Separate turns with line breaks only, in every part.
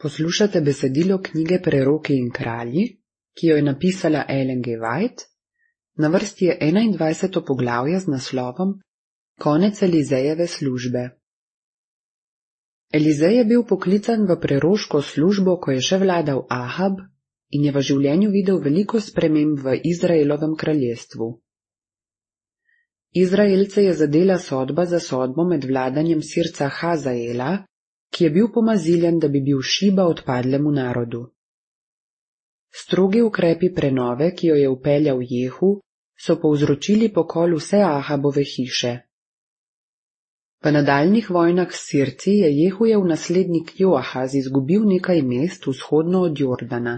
Poslušate besedilo knjige Preroki in kralji, ki jo je napisala Ellen G. White. Na vrsti je 21. poglavje z naslovom Konec Elizejeve službe. Elizej je bil poklican v preroško službo, ko je še vladal Ahab in je v življenju videl veliko sprememb v Izraelovem kraljestvu. Izraelce je zadela sodba za sodbo med vladanjem Sirca Hazaela, ki je bil pomaziljen, da bi bil šiba odpadlemu narodu. Strogi ukrepi prenove, ki jo je vpeljal Jehu, so povzročili pokol vse Ahabove hiše. V nadaljnjih vojnah s Sirci je Jehujev naslednik Joahaz izgubil nekaj mest vzhodno od Jordana.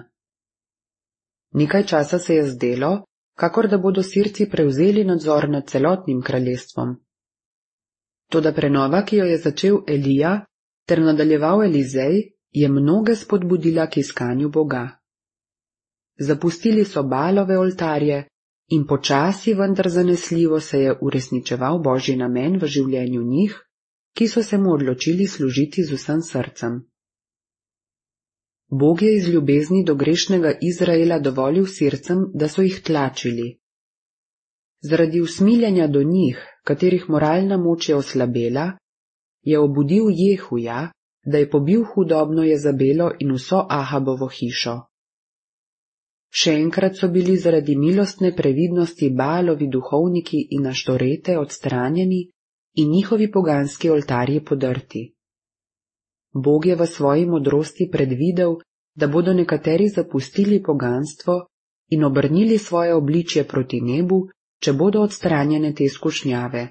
Nekaj časa se je zdelo, kakor da bodo Sirci prevzeli nadzor nad celotnim kraljestvom. Toda prenova, ki jo je začel Elija ter nadaljeval Elizej, je mnoge spodbudila k iskanju Boga. Zapustili so Baalove oltarje in počasi, vendar zanesljivo se je uresničeval Božji namen v življenju njih, ki so se mu odločili služiti z vsem srcem. Bog je iz ljubezni do grešnega Izraela dovolil Sircem, da so jih tlačili. Zaradi usmiljenja do njih, katerih moralna moč je oslabela, je obudil Jehuja, da je pobil hudobno Jezabelo in vso Ahabovo hišo. Še enkrat so bili zaradi milostne previdnosti Baalovi duhovniki in Aštorete odstranjeni in njihovi poganski oltarji podrti. Bog je v svoji modrosti predvidel, da bodo nekateri zapustili poganstvo in obrnili svoje obličje proti nebu, če bodo odstranjene te skušnjave.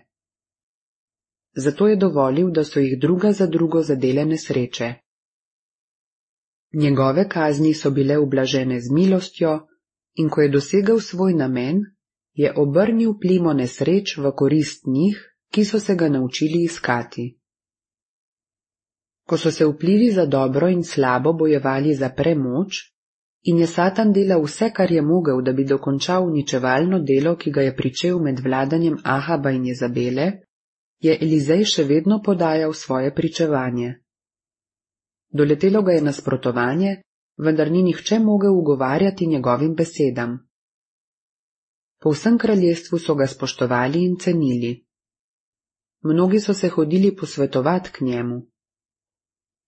Zato je dovolil, da so jih druga za drugo zadele nesreče. Njegove kazni so bile ublažene z milostjo in ko je dosegel svoj namen, je obrnil plimo nesreč v korist njih, ki so se ga naučili iskati. Ko so se vplivi za dobro in slabo bojevali za premoč in je Satan delal vse, kar je mogel, da bi dokončal uničevalno delo, ki ga je pričel med vladanjem Ahaba in Jezabele, je Elizej še vedno podajal svoje pričevanje. Doletelo ga je nasprotovanje, vendar ni nihče mogel ugovarjati njegovim besedam. Po vsem kraljestvu so ga spoštovali in cenili. Mnogi so se hodili posvetovati k njemu.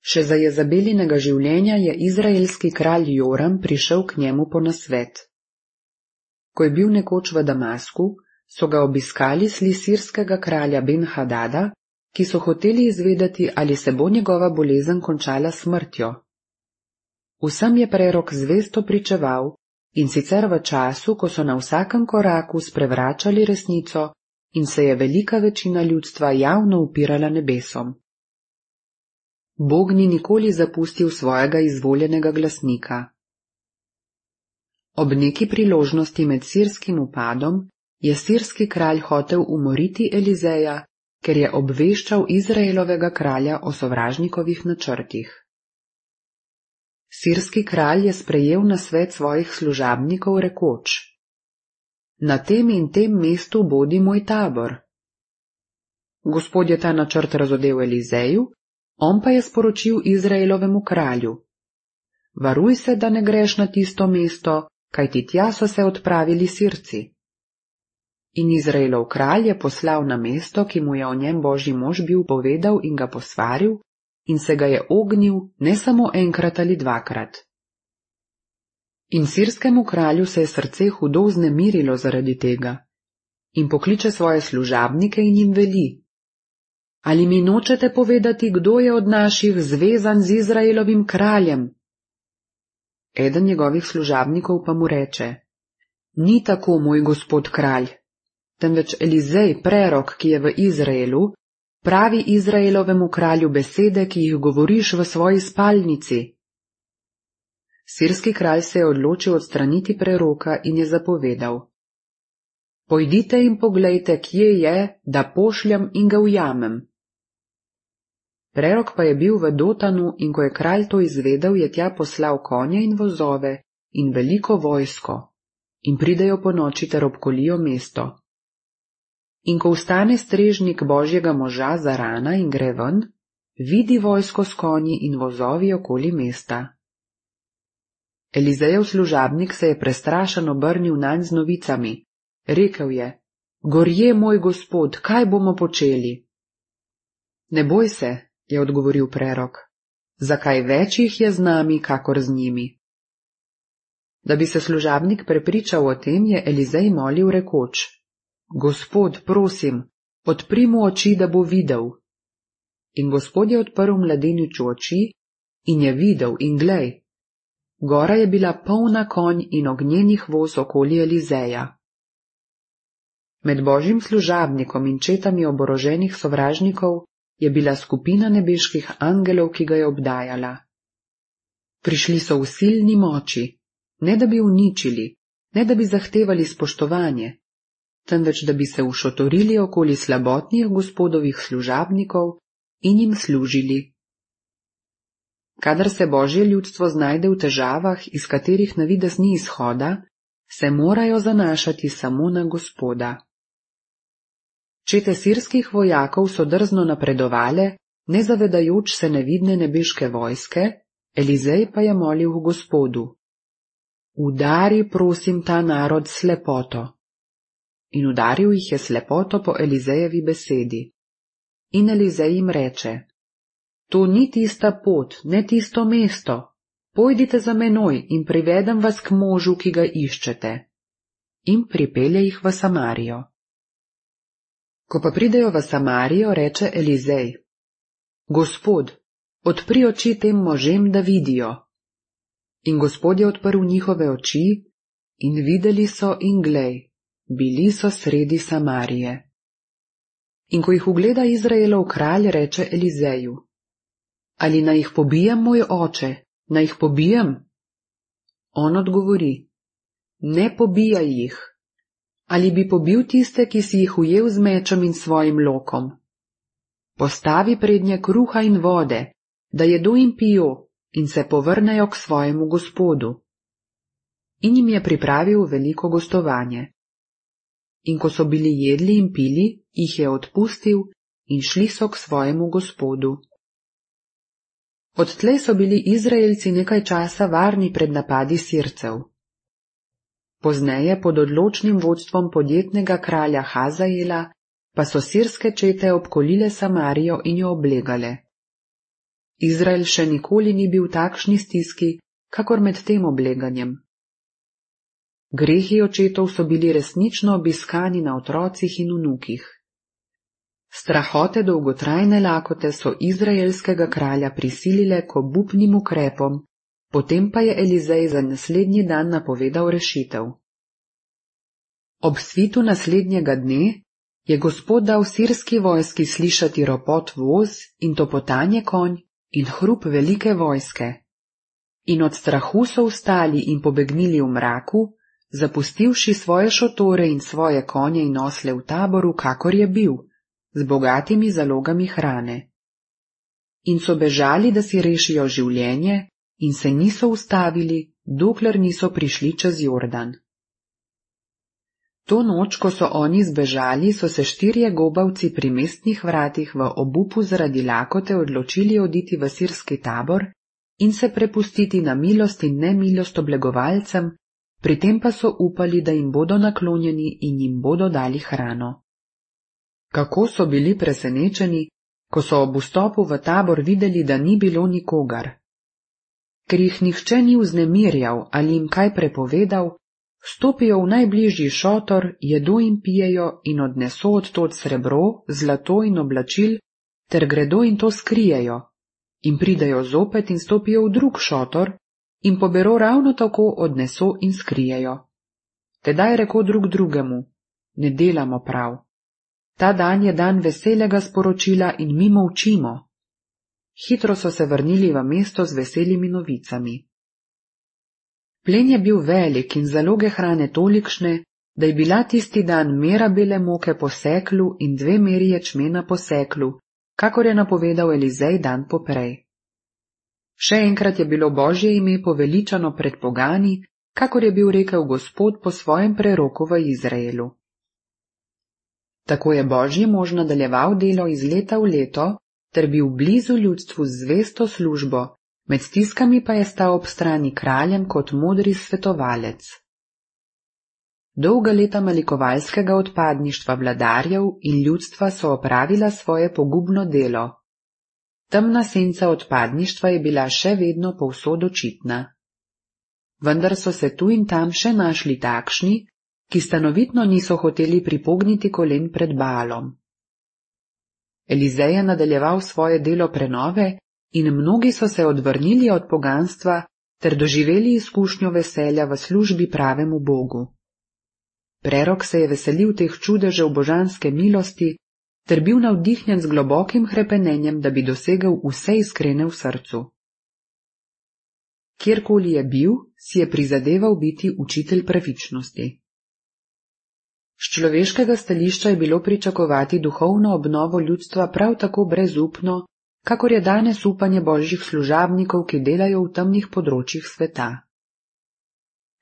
Še za Jezabelinega življenja je izraelski kralj Joram prišel k njemu po nasvet. Ko je bil nekoč v Damasku, so ga obiskali sli sirskega kralja Ben-Hadada, ki so hoteli izvedeti, ali se bo njegova bolezen končala smrtjo. Vsem je prerok zvesto pričeval, in sicer v času, ko so na vsakem koraku sprevračali resnico in se je velika večina ljudstva javno upirala nebesom. Bog ni nikoli zapustil svojega izvoljenega glasnika. Ob neki priložnosti med sirskim upadom je sirski kralj hotel umoriti Elizeja, ker je obveščal Izraelovega kralja o sovražnikovih načrtih. Sirski kralj je sprejel nasvet svojih služabnikov rekoč: Na tem in tem mestu bodi moj tabor. Gospod je ta načrt razodel Elizeju, on pa je sporočil Izraelovemu kralju: Varuj se, da ne greš na tisto mesto, kajti tja so se odpravili Sirci. In Izraelov kralj je poslal na mesto, ki mu je o njem Božji mož bil povedal in ga posvaril, in se ga je ognil ne samo enkrat ali dvakrat. In sirskemu kralju se je srce hudo vznemirilo zaradi tega in pokliče svoje služabnike in jim veli: Ali mi nočete povedati, kdo je od naših zvezan z Izraelovim kraljem? Eden njegovih služabnikov pa mu reče: Ni tako, moj gospod kralj, temveč Elizej, prerok, ki je v Izraelu, pravi Izraelovemu kralju besede, ki jih govoriš v svoji spalnici. Sirski kralj se je odločil odstraniti preroka in je zapovedal: Pojdite in poglejte, kje je, da pošljem in ga ujamem. Prerok pa je bil v Dotanu in ko je kralj to izvedel, je tja poslal konje in vozove in veliko vojsko in pridejo po noči ter obkolijo mesto. In ko vstane strežnik Božjega moža zarana in gre ven, vidi vojsko s konji in vozovi okoli mesta. Elizejev služabnik se je prestrašeno obrnil nanj z novicami. Rekel je: Gorje, moj gospod, kaj bomo počeli? Ne boj se, je odgovoril prerok. Zakaj več jih je z nami, kakor z njimi? Da bi se služabnik prepričal o tem, je Elizej molil rekoč: Gospod, prosim, odpri mu oči, da bo videl. In Gospod je odprl mladeniču oči in je videl, in glej, gora je bila polna konj in ognjenih voz okoli Elizeja. Med božjim služabnikom in četami oboroženih sovražnikov je bila skupina nebeških angelov, ki ga je obdajala. Prišli so v silni moči, ne da bi uničili, ne da bi zahtevali spoštovanje, temveč da bi se ušotorili okoli slabotnih gospodovih služabnikov in jim služili. Kadar se božje ljudstvo znajde v težavah, iz katerih na videz ni izhoda, se morajo zanašati samo na Gospoda. Čete sirskih vojakov so drzno napredovale, ne zavedajoč se nevidne nebeške vojske, Elizej pa je molil v Gospodu: Udari, prosim, ta narod s slepoto. In udaril jih je slepoto po Elizejevi besedi. In Elizej jim reče: To ni tista pot, ne tisto mesto. Pojdite za menoj in privedem vas k možu, ki ga iščete. In pripelje jih v Samarijo. Ko pa pridejo v Samarijo, reče Elizej: Gospod, odpri oči tem možem, da vidijo. In Gospod je odprl njihove oči in videli so, in glej, bili so sredi Samarije. In ko jih ugleda Izraelov kralj, reče Elizeju: Ali naj jih pobijem, moj oče, naj jih pobijem? On odgovori: Ne pobijaj jih. Ali bi pobil tiste, ki si jih ujel z mečem in svojim lokom? Postavi prednje kruha in vode, da jedo in pijo in se povrnejo k svojemu Gospodu. In jim je pripravil veliko gostovanje. In ko so bili jedli in pili, jih je odpustil in šli so k svojemu Gospodu. Odtlej so bili Izraelci nekaj časa varni pred napadi Sircev. Pozneje pod odločnim vodstvom podjetnega kralja Hazaela pa so sirske čete obkolile Samarijo in jo oblegale. Izrael še nikoli ni bil v takšni stiski, kakor med tem obleganjem. Grehi očetov so bili resnično obiskani na otrocih in vnukih. Strahote dolgotrajne lakote so izraelskega kralja prisilile k obupnim ukrepom, potem pa je Elizej za naslednji dan napovedal rešitev. Ob svitu naslednjega dne je Gospod dal sirski vojski slišati ropot voz in topotanje konj in hrup velike vojske. In od strahu so vstali in pobegnili v mraku, zapustivši svoje šotore in svoje konje in osle v taboru, kakor je bil, z bogatimi zalogami hrane. In so bežali, da si rešijo življenje, in se niso ustavili, dokler niso prišli čez Jordan. To noč, ko so oni zbežali, so se 4 gobavci pri mestnih vratih v obupu zaradi lakote odločili oditi v sirski tabor in se prepustiti na milost in nemilost oblegovalcem, pri tem pa so upali, da jim bodo naklonjeni in jim bodo dali hrano. Kako so bili presenečeni, ko so ob vstopu v tabor videli, da ni bilo nikogar. Ker jih nihče ni vznemirjal ali jim kaj prepovedal, stopijo v najbližji šotor, jedo in pijejo in odneso odtod srebro, zlato in oblačil, ter gredo in to skrijejo, in pridejo zopet in stopijo v drug šotor, in pobero ravno tako odneso in skrijejo. Tedaj reko drug drugemu: Ne delamo prav. Ta dan je dan veselega sporočila in mi molčimo. Hitro so se vrnili v mesto z veselimi novicami. Plen je bil velik in zaloge hrane tolikšne, da je bila tisti dan mera bele moke po seklu in 2 meri ječmena po seklu, kakor je napovedal Elizej dan poprej. Še enkrat je bilo Božje ime poveličano pred pogani, kakor je bil rekel Gospod po svojem preroku v Izraelu. Tako je Božji mož nadaljeval delo iz leta v leto, ter bil blizu ljudstvu z zvesto službo, med stiskami pa je stal ob strani kraljem kot modri svetovalec. Dolga leta malikovalskega odpadništva vladarjev in ljudstva so opravila svoje pogubno delo. Temna senca odpadništva je bila še vedno povsod očitna. Vendar so se tu in tam še našli takšni, ki stanovitno niso hoteli pripogniti kolen pred Baalom. Elizej je nadaljeval svoje delo prenove in mnogi so se odvrnili od poganstva ter doživeli izkušnjo veselja v službi pravemu Bogu. Prerok se je veselil teh čudežev božanske milosti ter bil navdihnjen z globokim hrepenenjem, da bi dosegel vse iskrene v srcu. Kjerkoli je bil, si je prizadeval biti učitelj pravičnosti. Z človeškega stališča je bilo pričakovati duhovno obnovo ljudstva prav tako brezupno, kakor je danes upanje božjih služabnikov, ki delajo v temnih področjih sveta.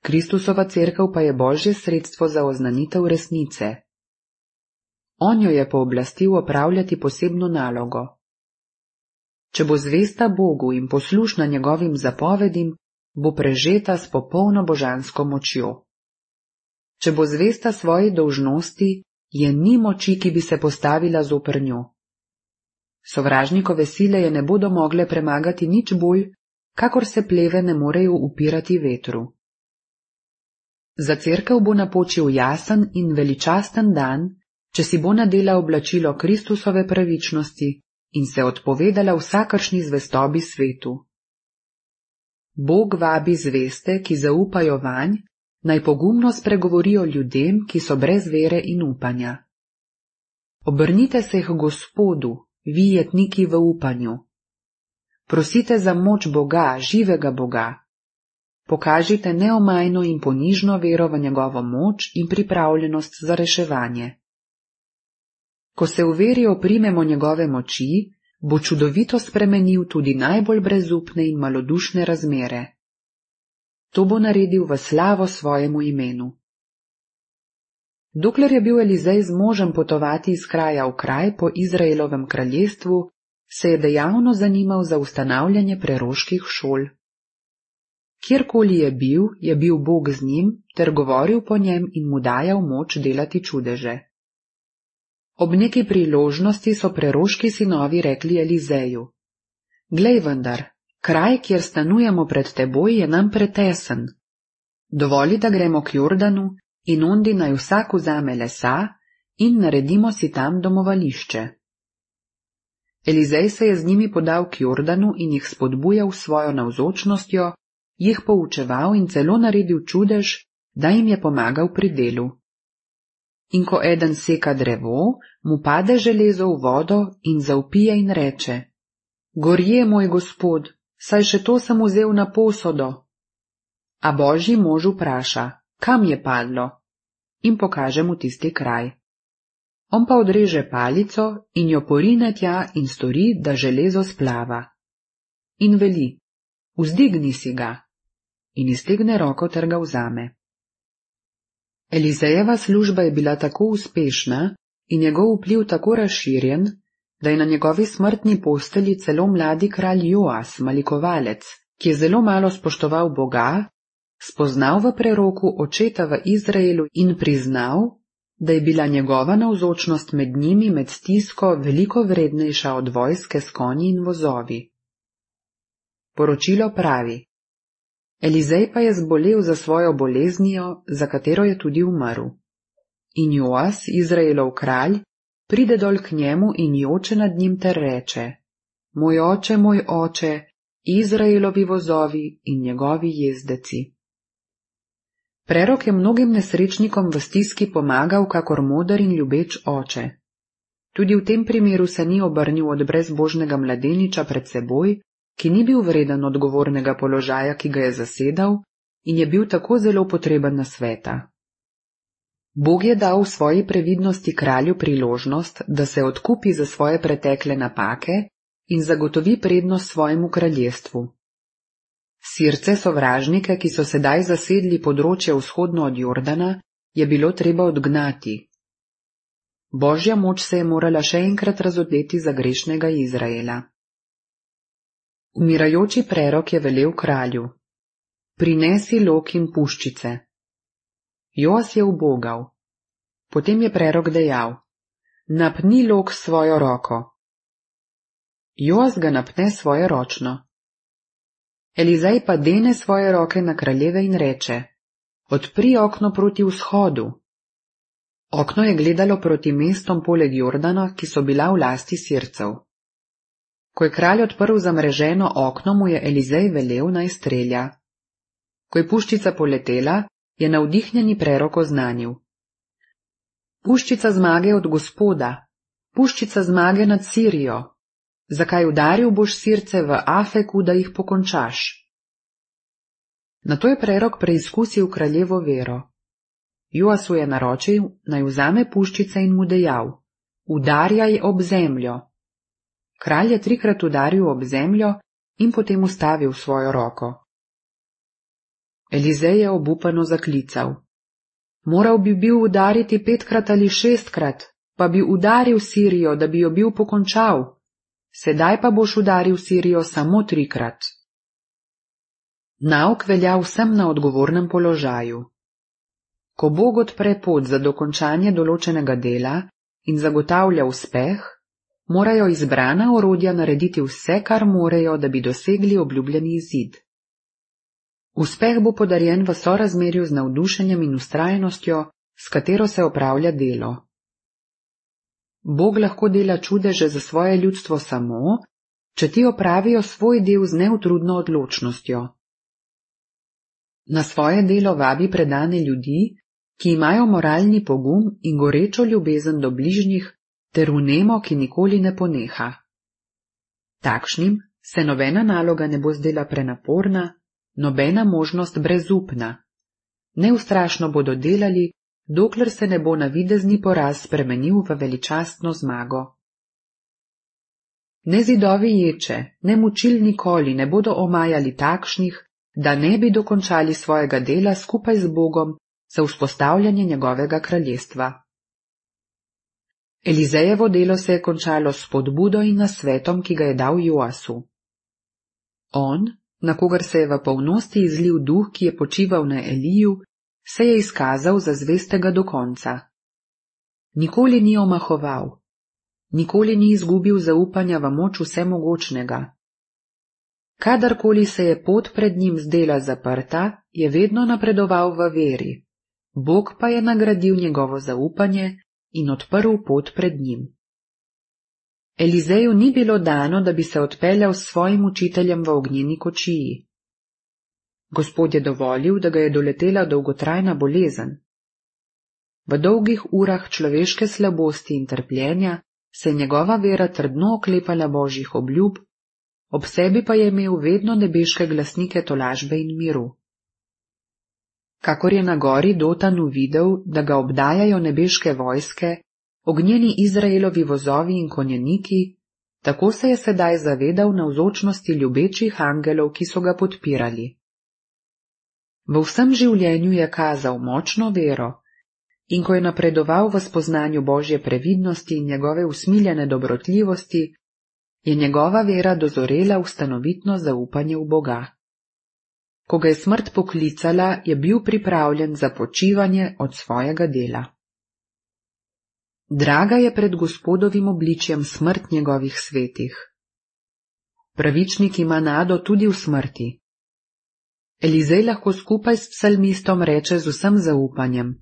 Kristusova cerkev pa je božje sredstvo za oznanitev resnice. On jo je pooblastil opravljati posebno nalogo. Če bo zvesta Bogu in poslušna njegovim zapovedim, bo prežeta s popolno božansko močjo. Če bo zvesta svoji dolžnosti, je ni moči, ki bi se postavila zoper njo. Sovražnikove sile je ne bodo mogle premagati nič bolj, kakor se pleve ne morejo upirati vetru. Za cerkev bo napočil jasen in veličasten dan, če si bo nadela oblačilo Kristusove pravičnosti in se odpovedala vsakršni zvestobi svetu. Bog vabi zveste, ki zaupajo vanj, naj pogumno spregovorijo ljudem, ki so brez vere in upanja. Obrnite se k Gospodu, vi jetniki v upanju. Prosite za moč Boga, živega Boga. Pokažite neomajno in ponižno vero v njegovo moč in pripravljenost za reševanje. Ko se v veri oprimemo njegove moči, bo čudovito spremenil tudi najbolj brezupne in malodušne razmere. To bo naredil v slavo svojemu imenu. Dokler je bil Elizej zmožen potovati iz kraja v kraj po Izraelovem kraljestvu, se je dejavno zanimal za ustanavljanje preroških šol. Kjerkoli je bil Bog z njim ter govoril po njem in mu dajal moč delati čudeže. Ob neki priložnosti so preroški sinovi rekli Elizeju: Glej vendar, kraj, kjer stanujemo pred teboj, je nam pretesen. Dovoli, da gremo k Jordanu in ondi naj vsak vzame lesa in naredimo si tam domovališče. Elizej se je z njimi podal k Jordanu in jih spodbujal svojo navzočnostjo, jih poučeval in celo naredil čudež, da jim je pomagal pri delu. In ko eden seka drevo, mu pade železo v vodo in zavpije in reče: Gorje, moj gospod, saj še to sem vzel na posodo. A božji mož vpraša: Kam je padlo? In pokaže mu tisti kraj. On pa odreže palico in jo porine tja in stori, da železo splava. In veli: Vzdigni si ga. In iztegne roko ter ga vzame. Elizejeva služba je bila tako uspešna in njegov vpliv tako razširjen, da je na njegovi smrtni postelji celo mladi kralj Joas, malikovalec, ki je zelo malo spoštoval Boga, spoznal v preroku očeta v Izraelu in priznal, da je bila njegova navzočnost med njimi med stisko veliko vrednejša od vojske s konji in vozovi. Poročilo pravi: Elizej pa je zbolel za svojo boleznijo, za katero je tudi umrl. In Joas, Izraelov kralj, pride dol k njemu in joče nad njim ter reče: Moj oče, Izraelovi vozovi in njegovi jezdeci. Prerok je mnogim nesrečnikom v stiski pomagal kakor moder in ljubeč oče. Tudi v tem primeru se ni obrnil od brezbožnega mladeniča pred seboj, ki ni bil vreden odgovornega položaja, ki ga je zasedal, in je bil tako zelo potreben nasveta. Bog je dal v svoji previdnosti kralju priložnost, da se odkupi za svoje pretekle napake in zagotovi prednost svojemu kraljestvu. Sirce sovražnike, ki so sedaj zasedli področje vzhodno od Jordana, je bilo treba odgnati. Božja moč se je morala še enkrat razodeti za grešnega Izraela. Umirajoči prerok je velel kralju: prinesi lok in puščice. Joas je ubogal. Potem je prerok dejal: napni lok s svojo roko. Joas ga napne svoje ročno. Elizej pa dene svoje roke na kraljeve in reče: odpri okno proti vzhodu. Okno je gledalo proti mestom poleg Jordana, ki so bila v lasti Sircev. Ko je kralj odprl zamreženo okno, mu je Elizej velel, naj strelja. Ko je puščica poletela, je navdihnjeni prerok oznanil: puščica zmage od Gospoda, puščica zmage nad Sirijo. Zakaj udaril boš Sirce v Afeku, da jih pokončaš? Nato je prerok preizkusil kraljevo vero. Joasu je naročil, naj vzame puščice in mu dejal: udarjaj ob zemljo. Kralj je 3krat udaril ob zemljo in potem ustavil svojo roko. Elizej je obupano zaklical: moral bi bil udariti 5krat ali 6krat, pa bi udaril Sirijo, da bi jo bil pokončal. Sedaj pa boš udaril Sirijo samo 3krat. Nauk velja vsem na odgovornem položaju. Ko Bog odpre pot za dokončanje določenega dela in zagotavlja uspeh, morajo izbrana orodja narediti vse, kar morejo, da bi dosegli obljubljeni izid. Uspeh bo podarjen v sorazmerju z navdušenjem in vztrajnostjo, s katero se opravlja delo. Bog lahko dela čudeže za svoje ljudstvo samo, če ti opravijo svoj del z neutrudno odločnostjo. Na svoje delo vabi predane ljudi, ki imajo moralni pogum in gorečo ljubezen do bližnjih, ter vnemo, ki nikoli ne poneha. Takšnim se nobena naloga ne bo zdela prenaporna, nobena možnost brezupna. Neustrašno bodo delali, dokler se ne bo navidezni poraz spremenil v veličastno zmago. Ne zidovi ječe, ne mučil nikoli ne bodo omajali takšnih, da ne bi dokončali svojega dela skupaj z Bogom za vzpostavljanje njegovega kraljestva. Elizejevo delo se je končalo s spodbudo in nasvetom, ki ga je dal Joasu. On, na kogar se je v polnosti izlil duh, ki je počival na Eliju, se je izkazal za zvestega do konca. Nikoli ni omahoval, nikoli ni izgubil zaupanja v moč vsemogočnega. Kadarkoli se je pot pred njim zdela zaprta, je vedno napredoval v veri, Bog pa je nagradil njegovo zaupanje in odprl pot pred njim. Elizeju ni bilo dano, da bi se odpeljal s svojim učiteljem v ognjeni kočiji. Gospod je dovolil, da ga je doletela dolgotrajna bolezen. V dolgih urah človeške slabosti in trpljenja se je njegova vera trdno oklepala Božjih obljub, ob sebi pa je imel vedno nebeške glasnike tolažbe in miru. Kakor je na gori Dotanu videl, da ga obdajajo nebeške vojske, ognjeni Izraelovi vozovi in konjeniki, tako se je sedaj zavedal navzočnosti ljubečih angelov, ki so ga podpirali. V vsem življenju je kazal močno vero in ko je napredoval v spoznanju Božje previdnosti in njegove usmiljene dobrotljivosti, je njegova vera dozorela v stanovitno zaupanje v Boga. Ko ga je smrt poklicala, je bil pripravljen za počivanje od svojega dela. Draga je pred Gospodovim obličjem smrt njegovih svetih. Pravičnik ima nado tudi v smrti. Elizej lahko skupaj s psalmistom reče z vsem zaupanjem: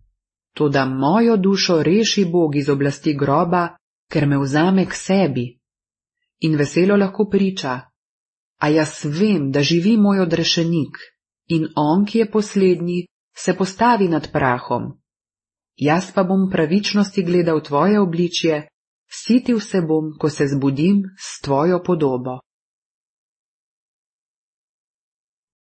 toda mojo dušo reši Bog iz oblasti groba, ker me vzame k sebi. In veselo lahko priča: a jaz vem, da živi moj odrešenik, in on, ki je poslednji, se postavi nad prahom. Jaz pa bom pravičnosti gledal tvoje obličje, sitil se bom, ko se zbudim s tvojo podobo.